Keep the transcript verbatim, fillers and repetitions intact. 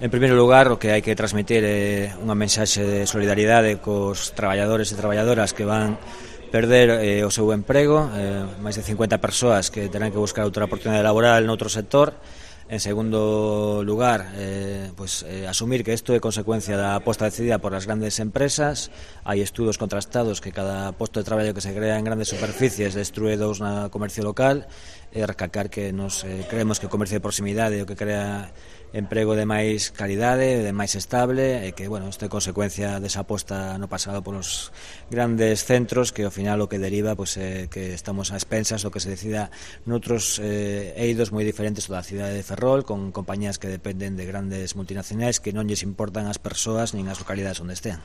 En primeiro lugar, o que hai que transmitir é unha mensaxe de solidaridade cos traballadores e traballadoras que van perder eh, o seu emprego, eh, máis de cincuenta persoas que terán que buscar outra oportunidade laboral noutro sector. En segundo lugar, eh, pues, eh, asumir que isto é consecuencia da aposta decidida por as grandes empresas. Hai estudos contrastados que cada posto de traballo que se crea en grandes superficies destrue dous na comercio local, e recalcar que nos eh, creemos que o comercio de proximidade é o que crea emprego de máis calidade, de máis estable, e que, bueno, isto é consecuencia desa aposta no pasado polos grandes centros, que ao final o que deriva pues, é que estamos a expensas do que se decida noutros eh, eidos moi diferentes da cidade de Ferrol, con compañías que dependen de grandes multinacionais que non lles importan as persoas nin as localidades onde estean.